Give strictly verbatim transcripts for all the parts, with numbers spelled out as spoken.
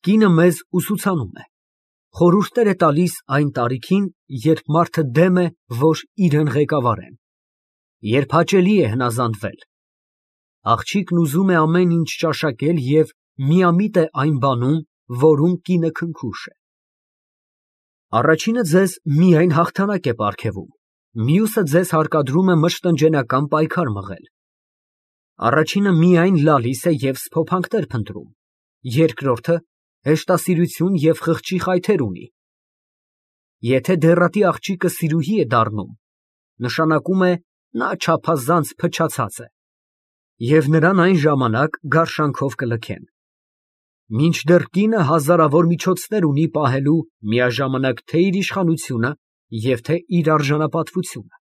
Կինը մեզ ուսուցանում է, խորհուրդներ է տալիս այն տարիքին, երբ մարդը դեմ է, որ իրան ղեկավարեն, երբ հաճելի է հնազանդվել։ Աղջիկն ուզում է ամեն ինչ ճաշակել և միամիտ է այն բանում, որում կինը քնքուշ է։ Առաջինը ձեզ միայն հաղթանակ է պարգևում, մյուսը ձեզ հարկադրում է մշտնջենական պայքար մղել։ Առաջինը միայն լալիս է և սփոփանքներ փնտրում, երկրորդը հեշտասիրություն և խղճի խայթեր ունի։ Եթե դեռատի աղջիկը սիրուհի է դառնում, նշանակում է նա չափազանց փչացած է, և նրան այն ժամանակ գարշանքով կլքեն։ Մինչդեռ կինը հազարավոր միջոցներ ունի պահելու միաժամանակ թե իր իշխանությունը և թե իր արժանապատվությունը։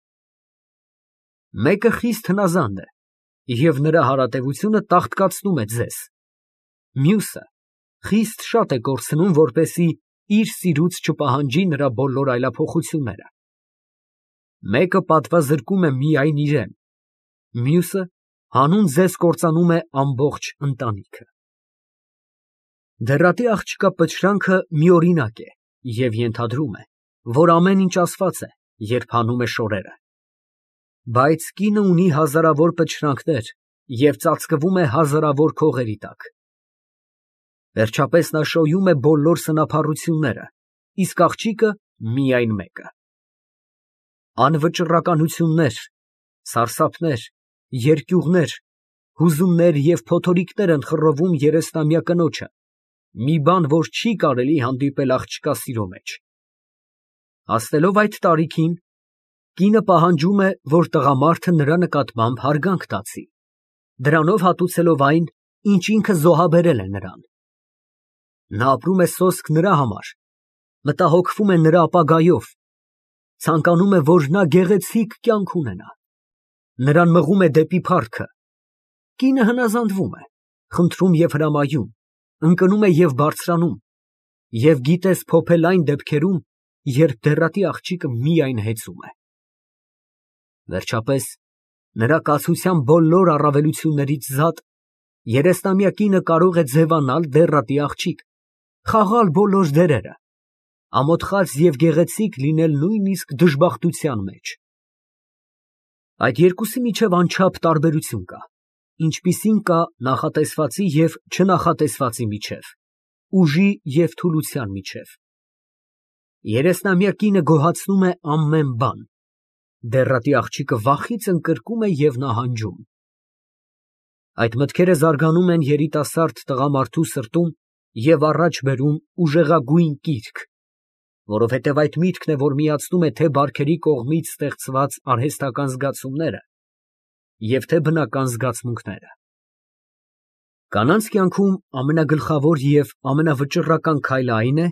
Մեկը խիստ հնազանդ է, և նրա հարատևությունը տաղտկացնում է ձեզ, մյուսը խիստ շատ է կորցնում, որպեսզի իր սիրուց չպահանջի նրա բոլոր այլափոխությունները։ Մեկը պատվազրկում է միայն իրան, մյուսը հանուն ձեզ կործանում է ամբողջ ընտանիքը։ Դեռատի աղջկա պչրանքը միօրինակ է և ենթադրում է, որ ամեն ինչ ասված է, երբ հանում է շորերը։ Բայց կինը ունի հազարավոր պչրանքներ և ծածկվում է հազարավոր քողերի տակ։ Վերջապես նա շոյում է բոլոր սնափառությունները, իսկ աղջիկը միայն մեկը։ Անվճռականություններ, սարսափներ, երկյուղներ, հուզումներ և փոթորիկներ են խռովում երեսնամյա կնոջը, մի բան, որ չի կարելի հանդիպել աղջկա սիրո մեջ։ Հասնելով այդ տարիքին, կինը պահանջում է, որ տղամարդը նրա նկատմամբ հարգանք տածի, դրանով հատուցելով այն, ինչ ինքը զոհաբերել է նրան։ Նա ապրում է սոսկ նրա համար, մտահոգվում է նրա ապագայով, ցանկանում է, որ նա գեղեցիկ կյանք ունենա, նրան մղում է դեպի փառքը։ Կինը հնազանդվում է, խնդրում և հրամայում, ընկնում է և բարձրանում, և գիտես փոփել այն դեպքերում, երբ դեռատի աղջիկը միայն հեծում է։ Վերջապես, նրա կացության բոլոր առավելություններից զատ, երեսնամյա կինը կարող է ձևանալ դեռատի աղջիկ, խաղալ բոլոր դերերը, ամոթխած և գեղեցիկ լինել նույնիսկ դժբախտության մեջ։ Այդ երկուսի միջև անչափ տարբերություն կա, ինչպիսին կա նախատեսվածի և չնախատեսվածի միջև, ուժի և թուլության միջև։ Երեսնամյա կինը գոհացնում է ամեն բան, դեռատի աղջիկը վախից ընկրկում է և նահանջում։ Այդ մտքերը զարգանում են երիտասարդ տղամարդու սրտում և առաջ բերում ուժեղագույն կիրք, որովհետև այդ միտքն է, որ միացնում է թե բարքերի կողմից ստեղծված արհեստական զգացումները և թե բնական զգացմունքները։ Կանանց կյանքում ամենագլխավոր և ամենավճռական քայլը այն է,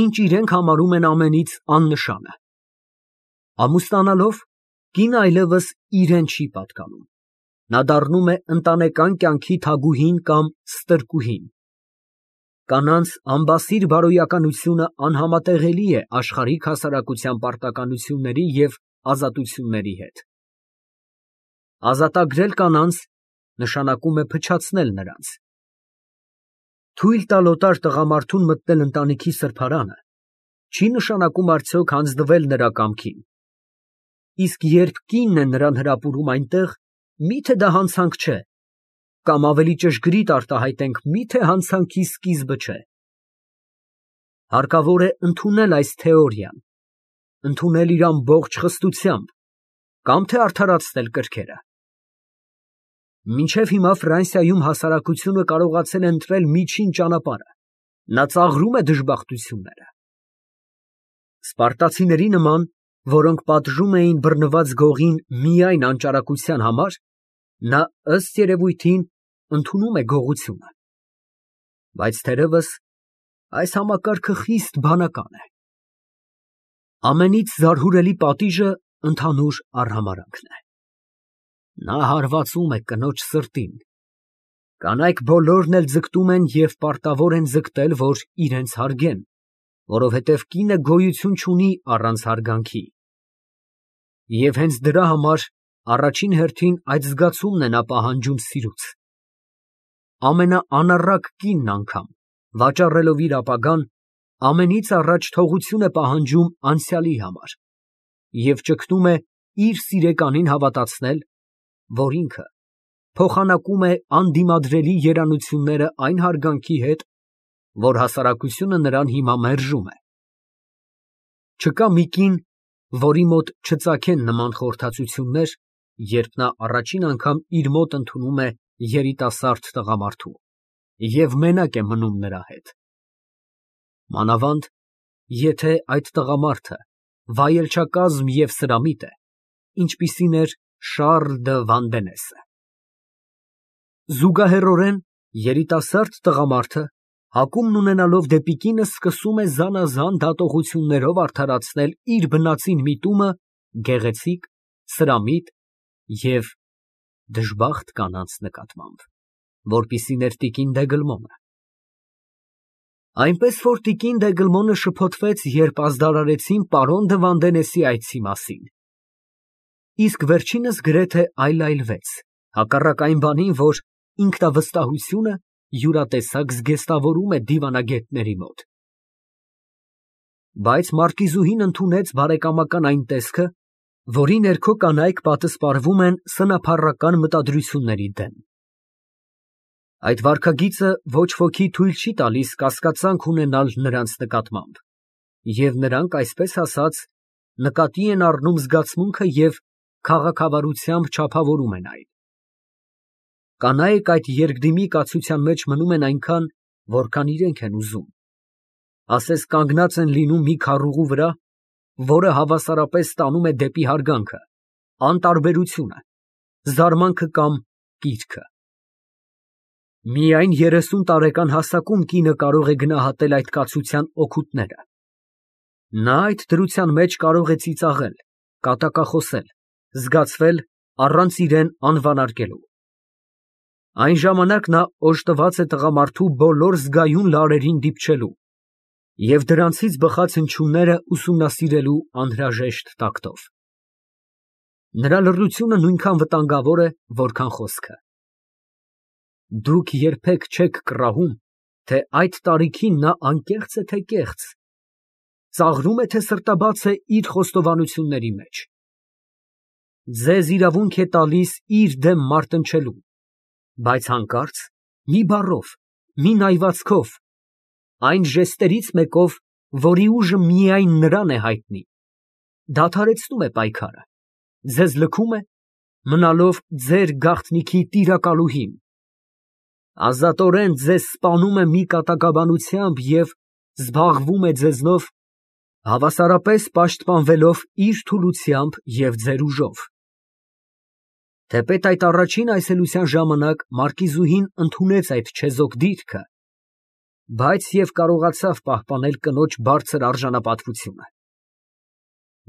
ինչ իրենք համարում են ամենից աննշանը։ Ամուսնանալով, կինը այլևս իրան չի պատկանում, նա դառնում է ընտանեկան կյանքի թագուհին կամ ստրկուհին։ Կանանց անբասիր բարոյականությունը անհամատեղելի է աշխարհիկ հասարակության պարտականությունների և ազատությունների հետ։ Ազատագրել կանանց նշանակում է փչացնել նրանց։ Թույլ տալ օտար տղամարդուն մտնել ընտանիքի սրբարանը չի նշանակում արդյոք հանձնվել նրա կամքին, իսկ երբ կինն է նրան հրապուրում այնտեղ, մի՞թե դա հանցանք չէ, կամ ավելի ճշգրիտ արտահայտենք, մի՞թե հանցանքի սկիզբը չէ։ Հարկավոր է ընդունել այս թեորիան, ընդունել իր ամբողջ խստությամբ, կամ թե արդարացնել կրքերը։ Մինչև հիմա Ֆրանսիայում հասարակությունը կարողացել է ընտրել միջին ճանապարհը, նա ծաղրում է դժբախտությունները։ Սպարտացիների նման, որոնք պատժում էին բռնված գողին միայն անճարակության համար, նա ըստ երևույթին ընդունում է գողությունը։ Բայց թերևս այս համակարգը խիստ բանական է։ Ամենից զարհուրելի պատիժը ընդհանուր արհամարհանքն է։ Նա հարվածում է կնոջ սրտին։ Կանայք բոլորն էլ ձգտում են և պարտավոր են ձգտել, որ իրենց հարգեն, որովհետև կինը գոյություն չունի առանց հարգանքի։ Եվ հենց դրա համար առաջին հերթին այդ զգացումն է նա պահանջում սիրուց։ Ամենաանառակ կինն անգամ, վաճառելով իր ապագան, ամենից առաջ թողություն է պահանջում անցյալի համար և ճգնում է իր սիրեկանին հավատացնել, որ ինքը փոխանակում է անդիմադրելի երանությունները այն հարգանքի հետ, որ հասարակությունը նրան հիմա մերժում է։ Չկա մի կին, որի մոտ չծագեն նման խորհրդածություններ, երբ նա առաջին անգամ իր մոտ ընդունում է երիտասարդ տղամարդու և մենակ է մնում նրա հետ։ Մանավանդ, եթե այդ տղամարդը վայելչակազմ և սրամիտ է, ինչպիսին էր Շառլ դը Վանդենեսը։ Զուգահեռորեն երիտասարդ տղամարդը, հակումն ունենալով դեպի կինը, սկսում է զանազան դատողություններով արդարացնել իր բնածին միտումը գեղեցիկ, սրամիտ և դժբախտ կանանց նկատմամբ, որպիսին էր տիկին Դեգլմոնը։ Այնպես որ տիկին Դեգլմոնը շփոթվեց, երբ ազդարարեցին պարոն դը Վանդենեսի այցի մասին, իսկ վերջինս գրեթե այլայլվեց, հակառակ այն բանին, որ ինքնավստահությունը յուրատեսակ զգեստավորում է դիվանագետների մոտ։ Բայց մարկիզուհին ընդունեց բարեկամական այն տեսքը, որի ներքո կանայք պատսպարվում են սնափառական մտադրությունների դեմ։ Այդ վարքագիծը ոչ ոքի թույլ չի տալիս կասկածանք ունենալ նրանց նկատմամբ, և նրանք, այսպես ասած, նկատի են առնում զգացմունքը և քաղաքավարությամբ չափավորում են այն։ Կանայք այդ երկդիմի կացության մեջ մնում են այնքան, որքան իրենք են ուզում, ասես կանգնած են լինում մի քառուղու վրա, որը հավասարապես տանում է դեպի հարգանքը, անտարբերությունը, զարմանքը կամ կիրքը։ Միայն երեսուն տարեկան հասակում կինը կարող է գնահատել այդ կացության օգուտները։ Նա այդ դրության մեջ կարող է ծիծաղել, կատակախոսել, զգացվել առանց իրան անվանարկելու։ Այն ժամանակ նա օժտված է տղամարդու բոլոր զգայուն լարերին դիպչելու և դրանցից բխած հնչյունները ուսումնասիրելու անհրաժեշտ տակտով։ Նրա լռությունը նույնքան վտանգավոր է, որքան խոսքը։ Դուք երբեք չեք կռահում, թե այդ տարիքին նա անկեղծ է, թե կեղծ, ծաղրում է, թե սրտաբաց է իր խոստովանությունների մեջ։ Ձեզ իրավունք է տալիս իր դեմ մարտնչելու, բայց հանկարծ, մի բառով, մի նայվածքով, այն ժեստերից մեկով, որի ուժը միայն նրան է հայտնի, դադարեցնում է պայքարը, ձեզ լքում է, մնալով ձեր գաղտնիքի տիրակալուհին, ազատորեն ձեզ սպանում է մի կատակաբանությամբ և զբաղվում է ձեզնով, հավասարապես պաշտպանվելով իր թուլությամբ և ձեր ուժով։ Թեպետ այդ առաջին այցելության ժամանակ մարկիզուհին ընդունեց այդ չեզոք դիրքը, բայց և կարողացավ պահպանել կնոջ բարձր արժանապատվությունը։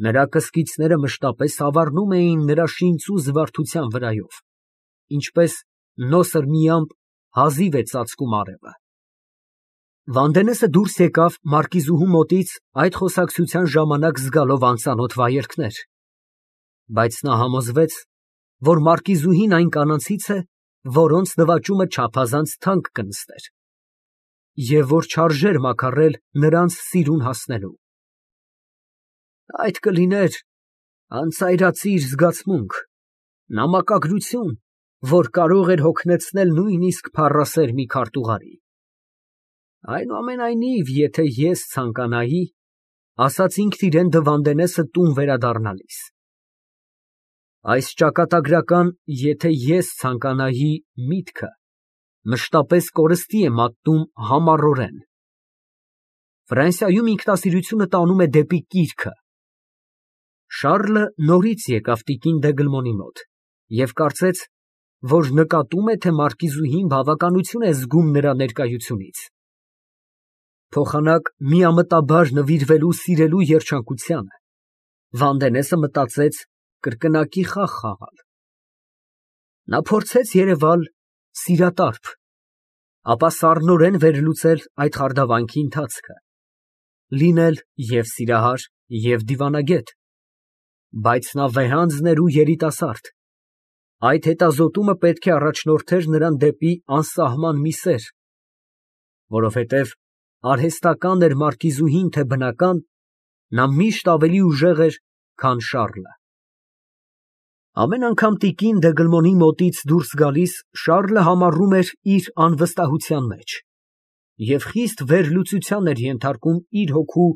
Նրա կսկիցները մշտապես ավառնում էին նրա շինծու զվարթության վրայով, ինչպես նոսր մի ամպ հազիվ է ծածկում արևը։ Վանդենեսը դուրս եկավ մարկիզուհու մոտից այդ խոսակցության ժամանակ զգալով անծանոթ վայելքներ, բայց նա համոզվեց, որ մարկիզուհին այն կանանցից է, որոնց նվաճումը չափազանց թանկ կնստեր, և որ չարժեր մաքարել նրանց սիրուն հասնելու։ Այդ կլիներ անծայրածիր զգացմունք, նամակագրություն, որ կարող էր հոգնեցնել նույնիսկ փառասեր մի քարտուղարի։ Այնուամենայնիվ, եթե ես ցանկանայի, ասաց ինքն իրան Դը Վանդենեսը տուն վերադառնալիս, այս ճակատագրական «եթե ես ցանկանայի» միտքը մշտապես կորստի է մատնում համառորեն։ Ֆրանսիայում ինքնասիրությունը տանում է դեպի կիրքը։ Շառլը նորից եկավ տիկին Դեգլմոնի մոտ և կարծեց, որ նկատում է, թե մարկիզուհին բավականություն է զգում նրա ներկայությունից։ Փոխանակ միամտաբար նվիրվելու սիրելու երջանկությանը, Վանդենեսը մտածեց կրկնակի խաղ խաղալ։ Նա փորձեց երևալ սիրատարբ, ապա սառնորեն վերլուծել այդ խարդավանքի ընթացքը, լինել և սիրահար, և դիվանագետ, բայց նա վեհանձն էր ու երիտասարդ, այդ հետազոտումը պետք է առաջնորդեր նրան դեպի անսահման մի սեր, Որովհետև արհեստական էր մարկիզուհին, թե բնական, նա միշտ ավելի ուժեղ էր, քան Շառլը։ Ամեն անգամ տիկին Դեգլմոնի մոտից դուրս գալիս, Շառլը համառում էր իր անվստահության մեջ և խիստ վերլուծության էր ենթարկում իր հոգու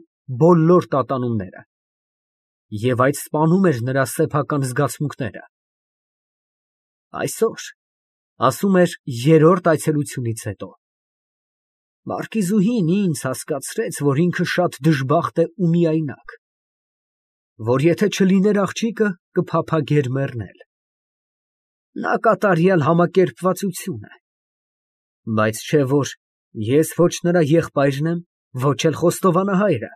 բոլոր տատանումները, և այդ սպանում էր նրա սեփական զգացմունքները։ Այսօր, ասում էր երրորդ այցելությունից հետո, մարկիզուհին ինձ հասկացրեց, որ ինքը շատ դժբախտ է ու միայնակ, որ եթե չլիներ աղջիկը, կփափագեր մեռնել։ Նա կատարյալ համակերպվածություն է, բայց չէ որ ես ոչ նրա եղբայրն եմ, ոչ էլ խոստովանահայրը,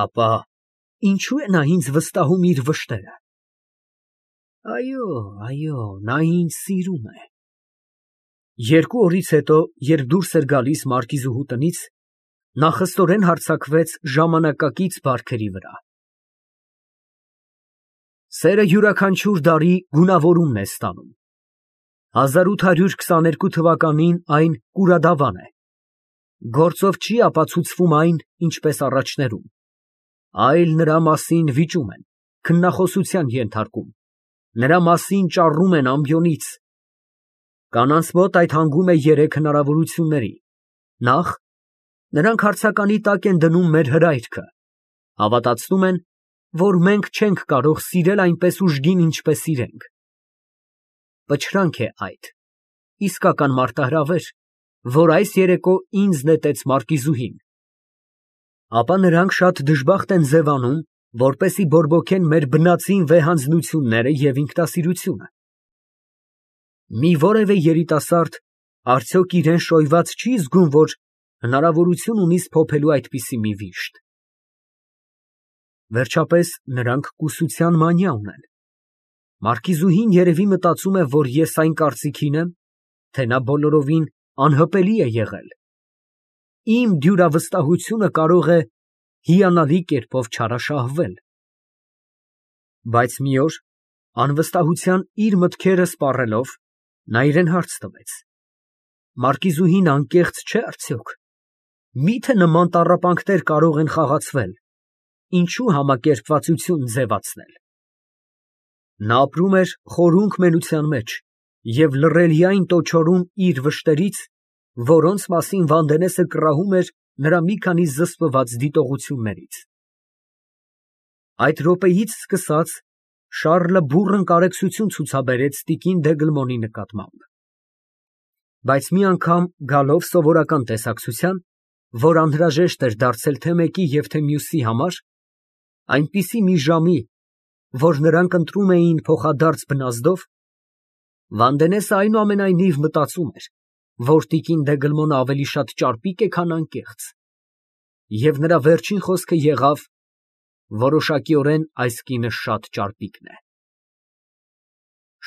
ապա ինչո՞ւ է նա ինձ վստահում իր վշտերը։ Այո, այո, նա ինձ սիրում է։ Երկու օրից հետո, երբ դուրս էր գալիս մարկիզուհու տնից, նա խստորեն հարձակվեց ժամանակակից բարքերի վրա։ Սերը յուրաքանչյուր դարի գունավորումն է ստանում։ հազար ութ հարյուր քսաներկու թվականին այն կուրադավան է։ Գործով չի ապացուցվում այն, ինչպես առաջներում, այլ նրա մասին վիճում են, քննախոսության ենթարկում, նրա մասին ճառում են ամբիոնից։ Կանանց մոտ այդ հանգում է երեք հնարավորությունների. նախ, նրանք հարցականի տակ են դնում մեր հրայրքը, հավատացնում են, որ մենք չենք կարող սիրել այնպես ուժգին, ինչպես իրենք։ Պչրանք է այդ, իսկական մարտահրավեր, որ այս երեկո ինձ նետեց մարկիզուհին։ Ապա նրանք շատ դժբախտ են ձևանում, որպեսզի բորբոքեն մեր բնածին վեհանձնությունները և ինքնասիրությունը։ Մի որևէ երիտասարդ արդյոք իրան շոյված չի զգում, որ հնարավորություն ունի սփոփելու այդպիսի մի վիշտ։ Վերջապես նրանք կուսության մանյա ունեն։ Մարկիզուհին երևի մտածում է, որ ես այն կարծիքին եմ, թե նա բոլորովին անհպելի է եղել։ Իմ դյուրավստահությունը կարող է հիանալի կերպով չարաշահվել։ Բայց մի օր, անվստահության իր մտքերը սպառելով, նա իրան հարց տվեց. մարկիզուհին անկեղծ չէ՞ արդյոք։ Մի՞թե նման տառապանքներ կարող են խաղացվել, ինչու համակերպվածություն ձևացնել։ Նա ապրում էր խորունկ մենության մեջ և լռելիայն տոչորում իր վշտերից, որոնց մասին Վանդենեսը կռահում էր նրա մի քանի զսպված դիտողություններից։ Այդ րոպեից սկսած Շառլը բուռն կարեկցություն ցուցաբերեց տիկին Դեգլմոնի նկատմամբ։ Բայց մի անգամ գալով սովորական տեսակցության, որ անհրաժեշտ էր դարձել թե մեկի և թե մյուսի համար, այնպիսի մի ժամի, որ նրանք ընտրում էին փոխադարձ բնազդով, Վանդենեսը այնուամենայնիվ մտածում էր, որ տիկին Դեգլմոնը ավելի շատ ճարպիկ է, քան անկեղծ, և նրա վերջին խոսքը եղավ. որոշակիորեն այս կինը շատ ճարպիկն է։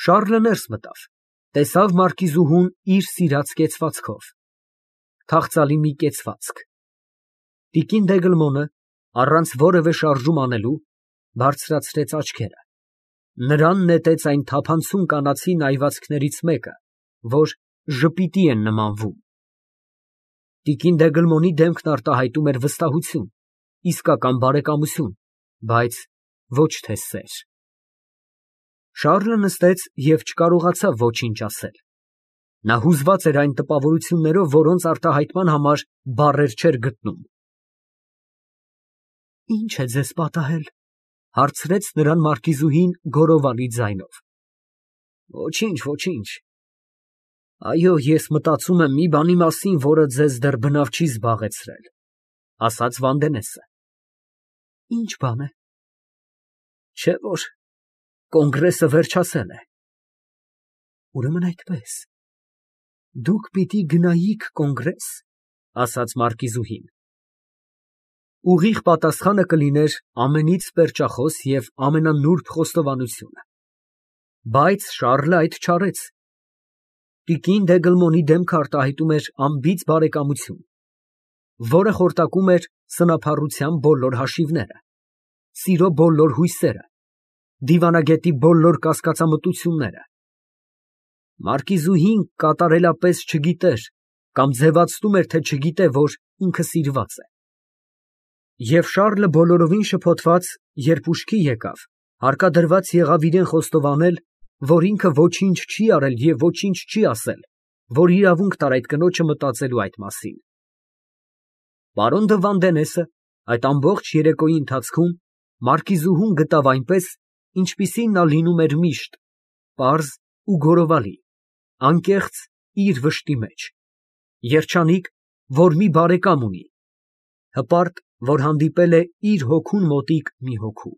Շառլը ներս մտավ, տեսավ մարկիզուհուն իր սիրած կեցվածքով, թախծալի մի կեցվածք։ Տիկին Դեգլմոնը, առանց որևէ շարժում անելու, բարձրացրեց աչքերը, նրան նետեց այն թափանցում կանացի նայվածքներից մեկը, որ ժպիտի են նմանվում։ Տիկին Դեգլմոնի դեմքն արտահայտում էր վստահություն, իսկական բարեկամություն, բայց ոչ թե սեր։ Շառլը նստեց և չկարողացավ ոչինչ ասել։ Նա հուզված էր այն տպավորություններով, որոնց արտահայտման համար բառեր չէր գտնում։ Ի՞նչ է ձեզ պատահել, հարցրեց նրան մարկիզուհին գոռովալի ձայնով։ Ոչինչ, ոչինչ։ Այո, ես մտածում եմ մի բանի մասին, որը ձեզ դեռ բնավ չի զբաղեցրել, ասաց Վանդենեսը։ Ի՞նչ բան է։ Չէ՞ որ կոնգրեսը վերջացել է։ Ուրեմն այդպես, դուք պիտի գնայիք կոնգրես, ասաց մարկիզուհին։ Ուղիղ պատասխանը կլիներ ամենից պերճախոս և ամենանուրբ խոստովանությունը։ Բայց Շառլը այդ չարեց։ Տիկին Դեգլմոնի դեմքը արտահայտում էր անբիծ բարեկամություն, որը խորտակում էր սնափառության բոլոր հաշիվները, սիրո բոլոր հույսերը, դիվանագետի բոլոր կասկածամտությունները։ Մարկիզուհին կատարելապես չգիտեր կամ ձևացնում էր, թե չգիտե, որ ինքը սիրված է։ Եվ Շառլը բոլորովին շփոթված, երբ ուշքի եկավ, հարկադրված եղավ իրան խոստովանել, որ ինքը ոչինչ չի արել և ոչինչ չի ասել, որ իրավունք տար այդ կնոջը մտածելու այդ մասին։ Պարոն դը Վանդենեսը այդ ամբողջ երեկոյի ընթացքում մարկիզուհուն գտավ այնպես, ինչպիսին նա լինում էր միշտ, պարզ ու գորովալի, անկեղծ իր վշտի մեջ, երջանիկ, որ մի բարեկամ ունի, հպարտ, որ հանդիպել է իր հոգուն մոտիկ մի հոգու։